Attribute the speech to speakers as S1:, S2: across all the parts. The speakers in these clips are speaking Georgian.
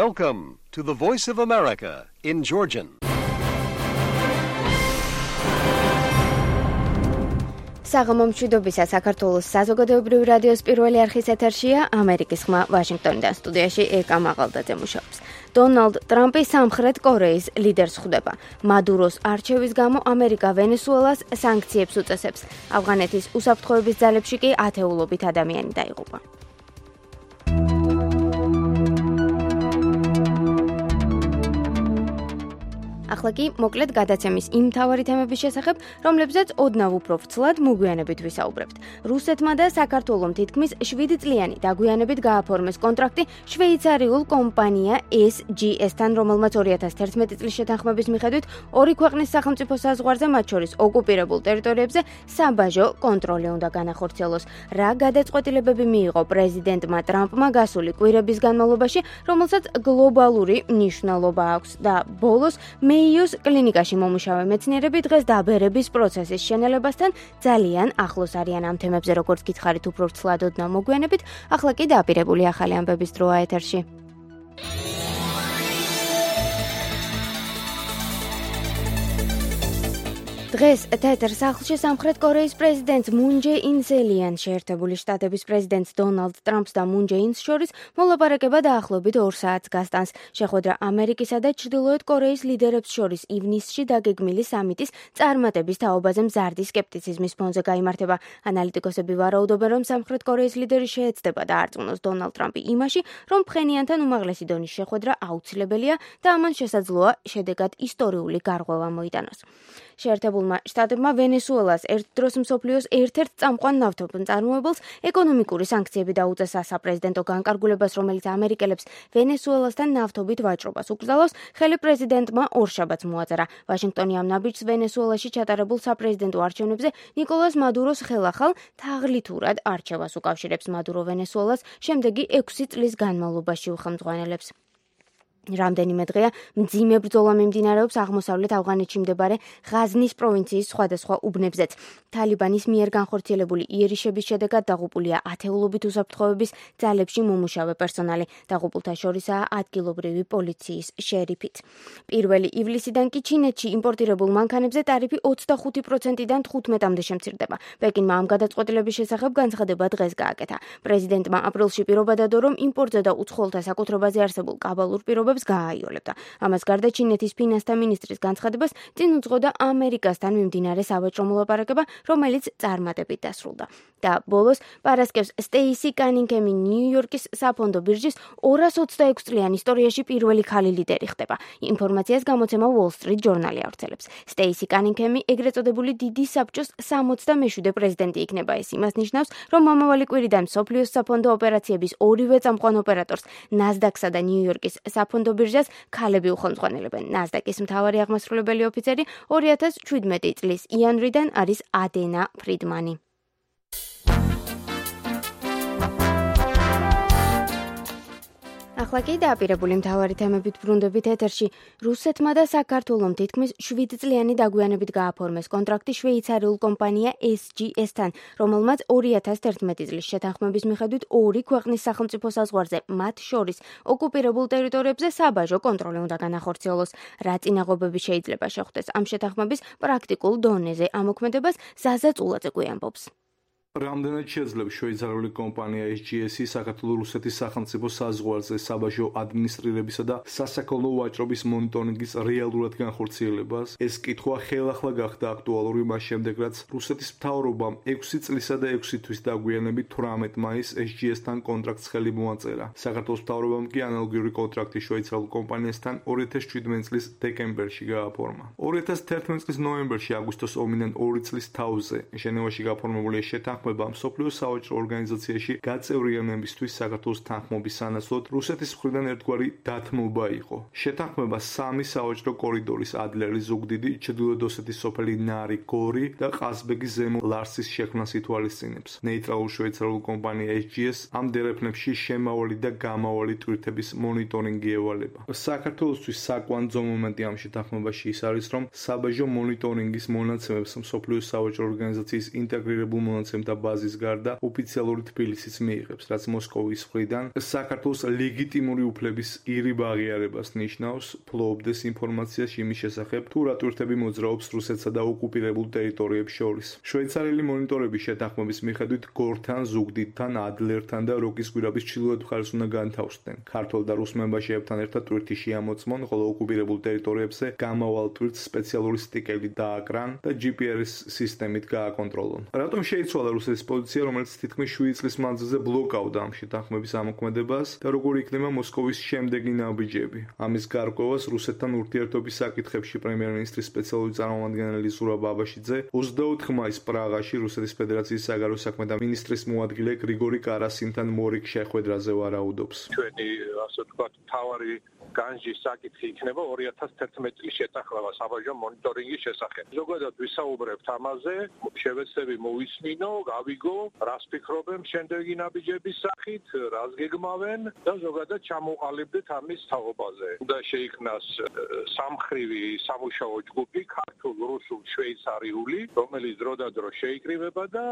S1: Welcome to the Voice of America in Georgian.
S2: საღამომშვიდობისა საქართველოს საზოგადოებრივი რადიოს პირველი არხის ეთერშია ამერიკის ხმა ვაშინგტონიდან სტუდიაში ერკა მაღალდაძე მუშაობს. დონალდ ტრამპი სამხრეთ კორეის ლიდერს ხვდება. მადუროს არჩევის გამო ამერიკა ვენესუელას სანქციებს უწესებს. ავღანეთის უსაფრთხოების ძალებში კი ათეულობით ადამიანი დაიღუპა. ახლა კი მოკლედ გადაცემის იმ მთავარი თემების შესახებ, რომლებზეც ოდნავ უფრო ვრცლად მოგვიანებით ვისაუბრებთ. რუსეთმა და საქართველომ თითქმის 7 წლიანი დაგვიანებით გააფორმეს კონტრაქტი შვეიცარიულ კომპანია SGS-თან, რომელმაც 2011 წლის შეთანხმების მიხედვით ორი ქვეყნის სახელმწიფო საზღვარზე, მათ შორის ოკუპირებულ ტერიტორიებზე საბაჟო კონტროლი უნდა განახორციელოს. რა გადაწყვეტილებები მიიღო პრეზიდენტმა ტრამპმა გასული კვირების განმავლობაში, რომელსაც გლობალური მნიშვნელობა აქვს და ბოლოს მეიოს კლინიკაში მომუშავე მეცნიერები დღეს დაბერების პროცესის შენელებასთან ძალიან ახლოს არიან. ამ თემებზე როგორც გითხარით უფრო ვრცლად ოდნავ მოგვიანებით, ახლა კი დაპირებული ახალი ამბების დროა ეთერში. დღეს თეთრ სახლში სამხრეთ კორეის პრეზიდენტს მუნ ჯე ინს ელიან შეერთებული შტატების პრეზიდენტს დონალდ ტრამპს და მუნ ჯე ინს შორის მოლაპარაკება დაახლოებით 2 საათს გასტანს. შეხვედრა ამერიკისა და ჩრდილოეთ კორეის ლიდერებს შორის ივნისში დაგეგმილი სამიტის წარმატების თაობაზე მზარდი სკეპტიციზმის ფონზე გაიმართება. ანალიტიკოსები ვარაუდობენ, რომ სამხრეთ კორეის ლიდერი შეეცდება და არწმუნოს დონალდ ტრამპი იმაში, რომ ფხენიანთან უმაღლესი დონის შეხვედრა აუცილებელია და ამან შესაძლოა შედეგად ისტორიული გარღვევა მოიტანოს. შეერთებულმა შტატებმა ვენესუელას ერთ დროს მსოფლიოს ერთ-ერთ წამყვან ნავთობმწარმოებელს ეკონომიკური სანქციები დაუწესა. საპრეზიდენტო განკარგულებას, რომელიც ამერიკელებს ვენესუელასთან ნავთობით ვაჭრობას უკრძალავს, ხელი პრეზიდენტმა ორშაბათს მოაწერა. ვაშინგტონი ამ ნაბიჯს ვენესუელაში ჩატარებულ საპრეზიდენტო არჩევნებზე ნიკოლას მადუროს ხელახალ თაღლითურად არჩევას უკავშირებს. მადურო ვენესუელას შემდეგი 6 წლის განმავლობაში უხელმძღვანელებს. რამდენიმე დღეა მძიმე ბრძოლა მიმდინარეობს აღმოსავლეთ ავღანეთში მდებარე ღაზნის პროვინციის სხვადასხვა უბნებზეც. თალიბანის მიერ განხორციელებული იერიშების შედეგად დაღუპულია ათეულობით უსაფრთხოების ძალებში მომუშავე პერსონალი. დაღუპულთა შორისაა ადგილობრივი პოლიციის შერიფით. 1 ივლისიდან კი ჩინეთში იმპორტირებულ მანქანებზე ტარიფი 25%-დან 15%-მდე შემცირდება. პეკინმა ამ გადაწყვეტილების შესახებ განცხადება დღეს გააკეთა. პრეზიდენტმა აპრილში პირობა დადო, რომ იმპორტზე და უცხოელთა საკუთრებაზე არსებულ კაბალურ პირობებს გააიოლებდა. ამას გარდა ჩინეთის ფინანსთა მინისტრის განცხადებას წინ უძღოდა ამერიკასთან მიმდინარე სავაჭრო მოლაპარაკება, რომელიც წარმატებით დასრულდა. და ბოლოს პარასკევს სტეისი კანინგემი ნიუ-იორკის საფონდო ბირჟის 226 წლიან ისტორიაში პირველი ქალი ლიდერი ხდება. ინფორმაციას გამოცემა Wall Street Journal-ი ავრცელებს. სტეისი კანინგემი ეგრეთ წოდებული დიდი საბჭოს 67 პრეზიდენტი იქნება. ეს იმას ნიშნავს, რომ მომავალი კვირიდან მსოფლიოს საფონდო ოპერაციების ორივე წამყვან ოპერატორს NASDAQ-სა და ნიუ-იორკის საფონდო ბირჟას ქალები უხელმძღვანელებენ. NASDAQ-ის მთავარი აღმასრულებელი ოფიცერი 2017 წლის იანვრიდან არის ადენა ფრიდმანი. ახლა კი დაპირებული მთავარი თემებით ბრუნდებით ეთერში. რუსეთმა და საქართველომ თითქმის 7 წლიანი დაგვიანებით გააფორმეს კონტრაქტი შვეიცარიულ კომპანია SGS-თან, რომელმაც 2011 წლის შეთანხმების მიხედვით ორი ქვეყნის სახელმწიფო საზღვარზე, მათ შორის ოკუპირებულ ტერიტორიებზე საბაჟო კონტროლი უნდა განახორციელოს. რა წინაღობები შეიძლება შეხვდეს ამ შეთანხმების პრაქტიკულ დონეზე ამოქმედებას ზაზა წულაძე გვიამბობს.
S3: რამდენად შეძლებს შვეიცარიული კომპანია SGS-ი საქართველო-რუსეთის სახელმწიფო საზღვარზე საბაჟო ადმინისტრირებისა და სასაქონლო ვაჭრობის მონიტორინგის რეალურად განხორციელებას? ეს კითხვა ხელახლა გახდა აქტუალური მას შემდეგ, რაც რუსეთის მთავრობამ 6 წლისა და 6 თვის დაგვიანებით 18 მაისს SGS-თან კონტრაქტს ხელი მოაწერა. საქართველოს მთავრობამ კი ანალოგიური კონტრაქტი შვეიცარიულ კომპანიასთან 2017 წლის დეკემბერში გააფორმა. 2011 წლის ნოემბერში აგვისტოს ომიდან 2 წლის თავზე ჟენევაში გაფორმებული შეთანხმება მსოფლიო სავაჭრო ორგანიზაციაში გაწევრიანებისთვის საქართველოს თანხმობის სანაცვლოდ რუსეთის მხრიდან ერთგვარი დათმობა იყო. შეთანხმება 3 სავაჭრო კორიდორის ადლერის ზუგდიდი, ჩრდილოეთ ოსეთის სოფელი ნარი, გორი და ყაზბეგის ზემო ლარსის შექმნას ითვალისწინებს. ნეიტრალურ შვეიცარიულ კომპანია SGS ამ დერეფნებში შემავალი და გამავალი ტვირთების მონიტორინგი ევალება. საქართველოსთვის საკვანძო მომენტი ამ შეთანხმებაში ის არის, რომ საბაჟო მონიტორინგის მონაცემებს მსოფლიო სავაჭრო ორგანიზაციის ინტეგრირებულ მონაცემთა ბაზის გარდა ოფიციალური თბილისიც მიიღებს, რაც მოსკოვის მხრიდან საქართველოს ლეგიტიმური უფლების ირიბ აღიარებას ნიშნავს, ფლობდეს ინფორმაციას იმის შესახებ, თუ რა ტვირთები მოძრაობს რუსეთსა და ოკუპირებულ ტერიტორიებს შორის. შვეიცარიელი მონიტორების შეთანხმების მიხედვით გორთან, ზუგდიდთან, ადლერთან და როკის გვირაბის ჩრდილოეთ მხარეს უნდა განთავსდნენ. ქართველ და რუს მემბაშეებთან ერთად ტვირთი შეამოწმონ, ხოლო ოკუპირებულ ტერიტორიებზე გამავალ ტვირთს სპეციალური სტიკერი დააკრან და GPS სისტემით გააკონტროლონ. რატომ შეიცვალა რუსეთის პოზიცია, რომელიც თითქმის 7 წლის მანძილზე ბლოკავდა ამ შეთანხმების ამოქმედებას და როგორი იქნება მოსკოვის შემდეგი ნაბიჯები? ამის გარკვევას რუსეთთან ურთიერთობის საკითხებში პრემიერ-მინისტრის სპეციალური წარმომადგენელი ზურაბ აბაშიძე 24 მაისს პრაღაში რუსეთის ფედერაციის საგარეო საქმეთა მინისტრის მოადგილე გრიგორი კარასინთან მორიგ შეხვედრაზე ვარაუდობს.
S4: ჩვენი ასე ვთქვათ, მთავარი განჯის საკითხი იქნება 2011 წლის შეთანხმება საბაჟო მონიტორინგის შესახებ. ზოგადად ვისაუბრებთ ამაზე, შევეცდები მოვისმინო, გავიგო, რას ფიქრობენ შემდეგი ნაბიჯების სახით, რას გეგმავენ და ზოგადად ჩამოყალიბდეთ ამის თაობაზე. და შეიქმნას სამხრივი სამუშაო ჯგუფი, ქართულ, რუსულ, შვეიცარიული, რომელიც დროდადრო შეიკრიბება და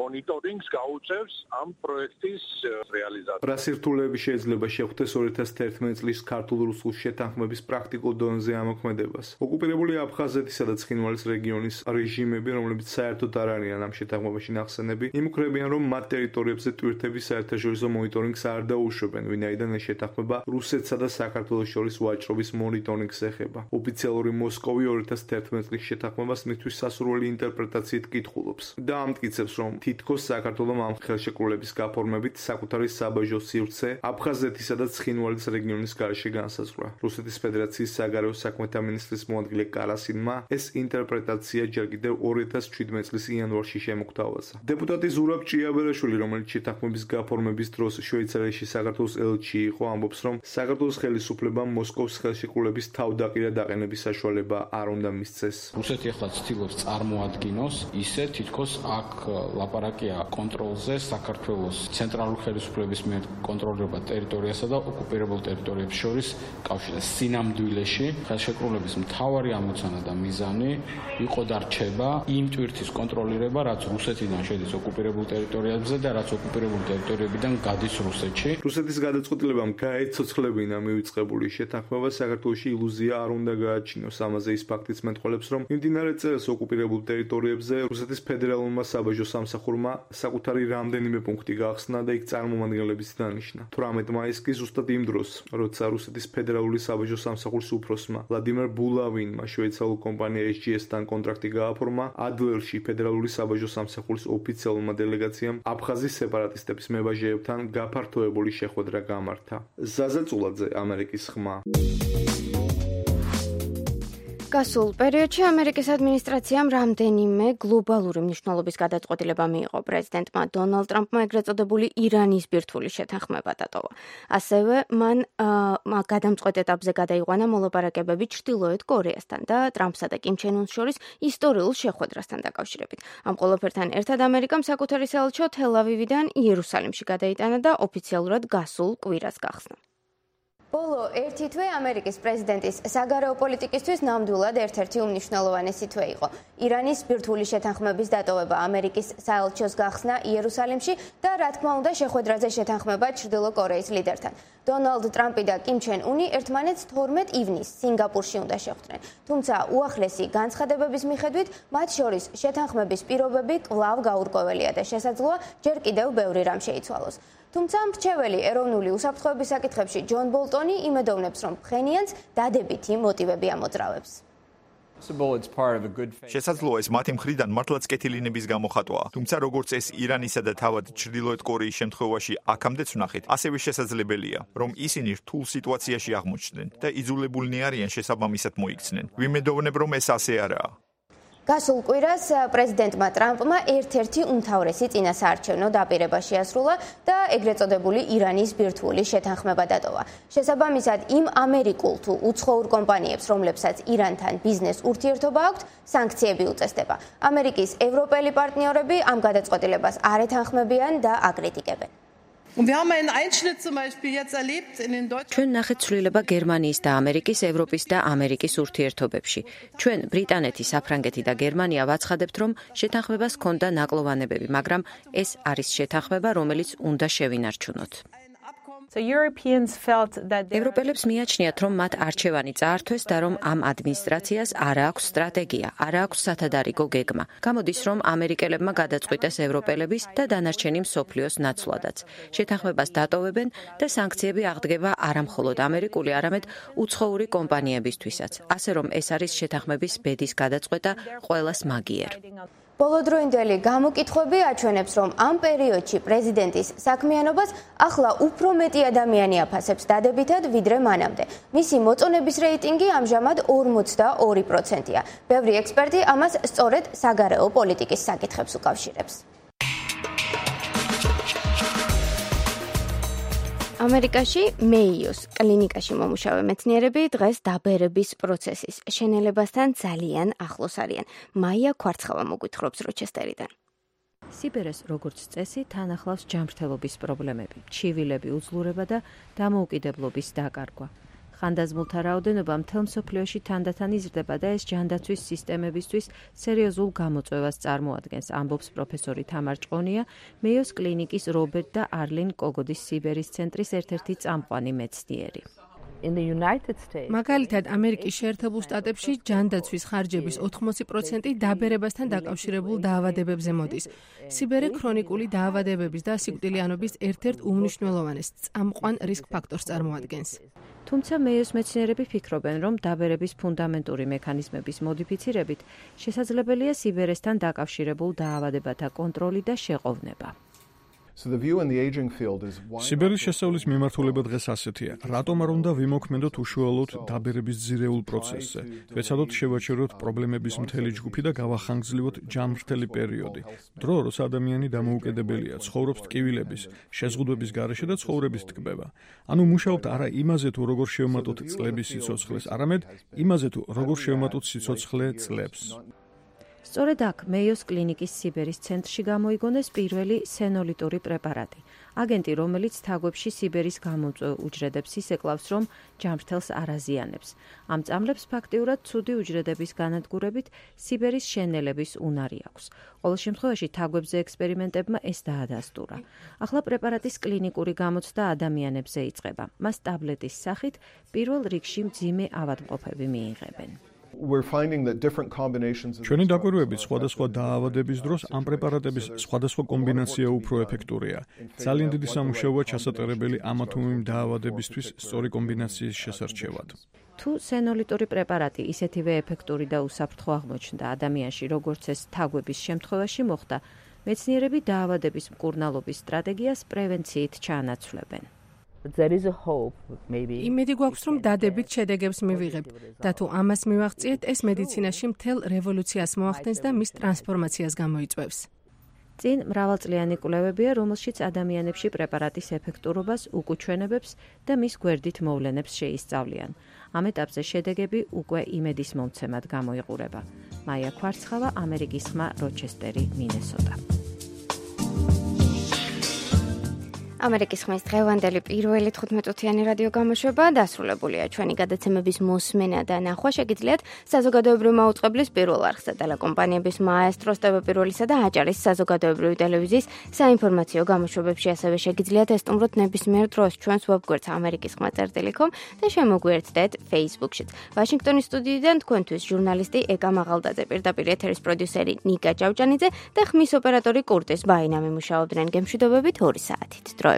S4: მონიტორინგს გაუწევს ამ პროექტის რეალიზაციას.
S3: რა სირთულეები შეიძლება შეხვდეს 2011 წლის ქართულ-რუსულ შეთანხმების პრაქტიკულ დონეზე ამოქმედებას? ოკუპირებული აფხაზეთისა და ცხინვალის რეგიონის რეჟიმები, რომლებიც საერთოდ არ არიან ამ შეთანხმებაში ნახსენები, იმუქრებიან, რომ მათ ტერიტორიებზე ტვირთების საერთაშორისო მონიტორინგს არ დაუშვებენ, ვინაიდან ეს შეთანხმება რუსეთსა და საქართველოს შორის ვაჭრობის მონიტორინგს ეხება. ოფიციალური მოსკოვი 2011 წლის შეთანხმებას მისთვის სასურველი ინტერპრეტაციით კითხულობს და ამტკიცებს, რომ თითქოს საქართველომ ამ ხელშეკრულების გაფორმებით საკუთარი საბაჟო სივრცე აფხაზეთისა და ცხინვალის რეგიონის გარშე განსაზღვრა. რუსეთის ფედერაციის საგარეო საქმეთა მინისტრის მოადგილე კარასინმა ეს ინტერპრეტაცია ჯერ კიდევ 2017 წლის იანვარში შემოგთავაზა. დეპუტატი ზურაბ ჭიაბერაშვილი, რომელიც შეთანხმების გაფორმების დროს შვეიცარიაში საქართველოს ელჩი იყო, ამბობს, რომ საქართველოს ხელისუფლებამ მოსკოვის ხელშეკრულების თავდაყირად აყენების საშუალება არ უნდა მისცეს.
S5: რუსეთი ახლა ცდილობს წარმოადგინოს ისე, თითქოს აქ ლაპარაკია კონტროლზე საქართველოს ცენტრალური ხელისუფლების მიერ კონტროლირება ტერიტორიასა და ოკუპირებულ ტერიტორიებს შორის კავშირის სინამდვილეში ხელშეკრულების მთავარი ამოცანა და მიზანი იყო და რჩება იმ ტვირთის კონტროლირება, რაც რუსეთიდან შედის ოკუპირებულ ტერიტორიებზე და რაც ოკუპირებულ ტერიტორიებიდან გადის რუსეთში.
S3: რუსეთის გადაწყვეტილებამ გაეცოცხლებინა მივიწყებული შეთანხმება საქართველოში ილუზია არ უნდა გააჩინოს. ამაზე ის ფაქტიც მეტყველებს, რომ მიმდინარე წელს ოკუპირებულ ტერიტორიებზე რუსეთის ფედერალურმა საბაჟო სამსახურმა საკუთარი რამდენიმე პუნქტი გაახსნა და იქ წარმომადგენლების დანიშნა. 18 მაისს კი ზუსტად იმ დროს, როცა რუსეთის ფედერალური საბაჟო სამსახურის უფროსმა ვლადიმერ ბულავინმა შვეიცარიულ კომპანია SGS-თან კონტრაქტი გააფორმა, ადლერში ფედერალური საბაჟო სამსახურის ოფიციალურმა დელეგაციამ აფხაზის სეპარატისტების მებაჟეებთან გაფართოებული შეხვედრა გამართა. ზაზა წულაძე, ამერიკის ხმა.
S2: გასულ პერიოდში ამერიკის ადმინისტრაციამ რამდენიმე გლობალური მნიშვნელობის გადაწყვეტილება მიიღო. პრეზიდენტმა დონალდ ტრამპმა ეგრეთ წოდებული ირანის ბირთვული შეთანხმება დატოვა. ასევე მან გადამწყვეტ ეტაპზე გადაიყვანა მოლაპარაკებები ჩრდილოეთ კორეასთან და ტრამპსა და კიმ ჩენ უნს შორის ისტორიულ შეხვედრასთან დაკავშირებით. ამ ყველაფერთან ერთად ამერიკამ საკუთარი საელჩო თელ-ავივიდან იერუსალიმში გადაიტანა და ოფიციალურად გასულ კვირას გახსნა. ბოლო ერთი თვე ამერიკის პრეზიდენტის საგარეო პოლიტიკისთვის ნამდვილად ერთ-ერთი უმნიშვნელოვანესი თვე იყო. ირანის ბირთვული შეთანხმების დატოვება, ამერიკის საელჩოს გახსნა იერუსალიმში და რა თქმა უნდა შეხვედრაზე შეთანხმება ჩრდილო კორეის ლიდერთან. დონალდ ტრამპი და კიმ ჩენ უნი ერთმანეთს 12 ივნისს სინგაპურში უნდა შეხვდნენ. თუმცა უახლესი განცხადებების მიხედვით მათ შორის შეთანხმების პირობები კვლავ გაურკვეველია და შესაძლოა ჯერ კიდევ ბევრი რამ შეიცვალოს. თუმცა მრჩეველი ეროვნული უსაფრთხოების საკითხებში ჯონ ბოლტონი იმედოვნებს, რომ ფხენიანს დადებითი მოტივები ამოძრავებს.
S6: შესაძლოა ეს მათი მხრიდან მართლაც კეთილინების გამოხატვაა. თუმცა როგორც ეს ირანისა და თავად ჩრდილოეთ კორეის შემთხვევაში აქამდეც ვნახეთ, ასევე შესაძლებელია, რომ ისინი რთულ სიტუაციაში აღმოჩნდნენ და იძულებულნი არიან შესაბამისად მოიქცნენ. ვიმედოვნებ, რომ ეს ასე არაა.
S2: გასულ კვირას პრეზიდენტმა ტრამპმა ერთ-ერთი უმთავრესი წინასაარჩევნო დაპირება შეასრულა და ეგრეთ წოდებული ირანის ბირთვული შეთანხმება დატოვა. შესაბამისად, იმ ამერიკულ თუ უცხოურ კომპანიებს, რომლებსაც ირანთან ბიზნეს ურთიერთობა აქვთ, სანქციები უწესდება. ამერიკის ევროპელი პარტნიორები ამ გადაწყვეტილებას არ ეთანხმებიან და აკრიტიკებენ.
S7: ჩვენ ნახეთ ცვლილება გერმანიის და ამერიკის, ევროპის და ამერიკის ურთიერთობებში. ჩვენ ბრიტანეთი, საფრანგეთი და გერმანია ვაცხადებთ, რომ შეთანხმებას ჰქონდა ნაკლოვანებები, მაგრამ ეს არის შეთანხმება, რომელიც უნდა შევინარჩუნოთ. ევროპელებს მიაჩნიათ, რომ მათ არჩევანი წაართვეს და რომ ამ ადმინისტრაციას არ აქვს სტრატეგია, არ აქვს სათადარიგო გეგმა. გამოდის, რომ ამერიკელებმა გადაწყვიტეს ევროპელების და დანარჩენი მსოფლიოს ნაცვლადაც. შეთანხმებას დატოვებენ და სანქციები აღდგება არამხოლოდ ამერიკული, არამედ უცხოური კომპანიებისთვისაც. ასე რომ ეს არის შეთანხმების ბედის გადაწყვეტა ყველას მაგიერ.
S2: ბოლოდროინდელი გამოკითხვები აჩვენებს, რომ ამ პერიოდში პრეზიდენტის საქმიანობას ახლა უფრო მეტი ადამიანი აფასებს დადებითად, ვიდრე მანამდე. მისი მოწონების რეიტინგი ამჟამად 42%-ია. ბევრი ექსპერტი ამას სწორედ საგარეო პოლიტიკის საკითხებს უკავშირებს. ამერიკაში მეიოს კლინიკაში მომუშავე მეცნიერები დღეს დაბერების პროცესის შენელებასთან ძალიან ახლოს არიან. მაია ქვარცხავა მოგვითხრობს როჩესტერიდან.
S7: სიბერეს როგორც წესი თან ახლავს ჯანმრთელობის პრობლემები, ჩივილები, უძლურება და დამოუკიდებლობის დაკარგვა. ხანდაზმულთა რაოდენობა მთელ მსოფლიოში თანდათან იზრდება და ეს ჯანდაცვის სისტემებისთვის სერიოზულ გამოწვევას წარმოადგენს, ამბობს პროფესორი თამარ ჭყონია, მეიოს კლინიკის რობერტ და არლინ კოგოდის სიბერის ცენტრის ერთ-ერთი წამყვანი მეცნიერი.
S8: მაგალითად, ამერიკის შეერთებულ შტატებში ჯანდაცვის ხარჯების 80% დაბერებასთან დაკავშირებულ დაავადებებზე მოდის. სიბერე ქრონიკული დაავადებების და სიკვდილიანობის ერთ-ერთ უმნიშვნელოვანეს წამყვან რისკ ფაქტორს წარმოადგენს.
S7: თუმცა მეიოს მეცნიერები ფიქრობენ, რომ დაბერების ფუნდამენტური მექანიზმების მოდიფიცირებით შესაძლებელია სიბერესთან დაკავშირებულ დაავადებათა კონტროლი და შეყოვნება.
S9: სიბერის შესწავლის მიმართულება დღეს ასეთია. რატომ არ უნდა ვიმოქმედოთ უშუალოდ დაბერების ძირეულ პროცესზე? ვეცადოთ შევაჩეროთ პრობლემების მთელი ჯგუფი და გავახანგრძლივოთ ჯანმრთელი პერიოდი. დრო, როცა ადამიანი დამოუკიდებელია, ცხოვრობს ტკივილების, შეზღუდვების გარეშე და ცხოვრების ტკბება. ანუ მუშაობთ არა იმაზე, თუ როგორ შევმატოთ წლების სიცოცხლეს, არამედ იმაზე, თუ როგორ შევმატოთ სიცოცხლე წლებს.
S7: სწორედ აქ მეიოს კლინიკის სიბერის ცენტრში გამოიგონეს პირველი სენოლიტური პრეპარატი. აგენტი, რომელიც თაგვებში სიბერის გამომწვევ უჯრედებს ისეკლავს, რომ ჯანმრთელს არ აზიანებს. ამ წამლებს ფაქტიურად ცუდი უჯრედების განადგურებით სიბერის შენელების უნარი აქვს. ყოველ შემთხვევაში თაგვებზე ექსპერიმენტებმა ეს დაადასტურა. ახლა პრეპარატის კლინიკური გამოცდა ადამიანებზე იწყება. მას ტაბლეტის სახით პირველ რიგში მძიმე ავადმყოფები მიიღებენ.
S9: ჩვენი დაკვირვებით სხვადასხვა დაავადების დროს ამ პრეპარატების სხვადასხვა კომბინაცია უფრო ეფექტურია. ძალიან დიდი სამუშაოა ჩასატარებელი ამა თუ იმ დაავადებისთვის სწორი კომბინაციის შესარჩევად.
S7: თუ სენოლიტური პრეპარატი ისეთივე ეფექტური და უსაფრთხო აღმოჩნდა ადამიანში, როგორც ეს თაგვების შემთხვევაში მოხდა, მეცნიერები დაავადების მკურნალობის სტრატეგიას პრევენციით ჩაანაცვლებენ.
S8: იმედი გვაქვს, რომ დადებით შედეგებს მივიღებთ და თუ ამას მივაღწიეთ, ეს მედიცინაში მთელ რევოლუციას მოახდენს და მის ტრანსფორმაციას გამოიწვევს.
S7: წინ მრავალწლიანი კვლევებია, რომელშიც ადამიანებში პრეპარატის ეფექტურობას, უკუჩვენებებს და მის გვერდით მოვლენებს შეისწავლიან. ამ ეტაპზე შედეგები უკვე იმედის მომცემად გამოიყურება. მაია ქვარცხავა, ამერიკის ხმა, როჩესტერი, მინესოტა.
S2: ამერიკის ხმის დღევანდელი პირველი 15-წუთიანი რადიო გამოშვება დასრულებულია. ჩვენი გადაცემების მოსმენა და ნახვა შეგიძლიათ საზოგადოებრივი მაუწყებლის პირველ არხსა ტელეკომპანიების მაესტროს ტv1-ისა და აჭარის საზოგადოებრივი ტელევიზიის საინფორმაციო გამოშვებებში. ასევე შეგიძლიათ ესტუმროთ ნებისმიერ დროს ჩვენს ვებგვერდს amerikiskhma.com და შემოგვიერთდეთ Facebook-შიც. ვაშინგტონის სტუდიიდან თქვენთვის ჟურნალისტი ეკა მაღალდაძე, პირდაპირ ეთერის პროდიუსერი ნიკა ჭავჭანიძე და ხმის ოპერატორი კურტის ბაინა მიმუშაობდნენ გემშვიდობებით 2 საათით.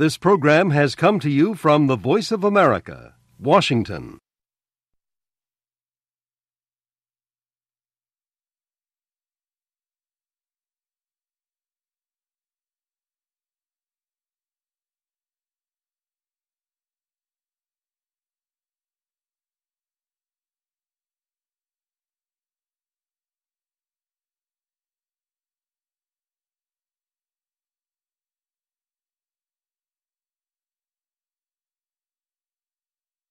S1: This program has come to you from the Voice of America, Washington.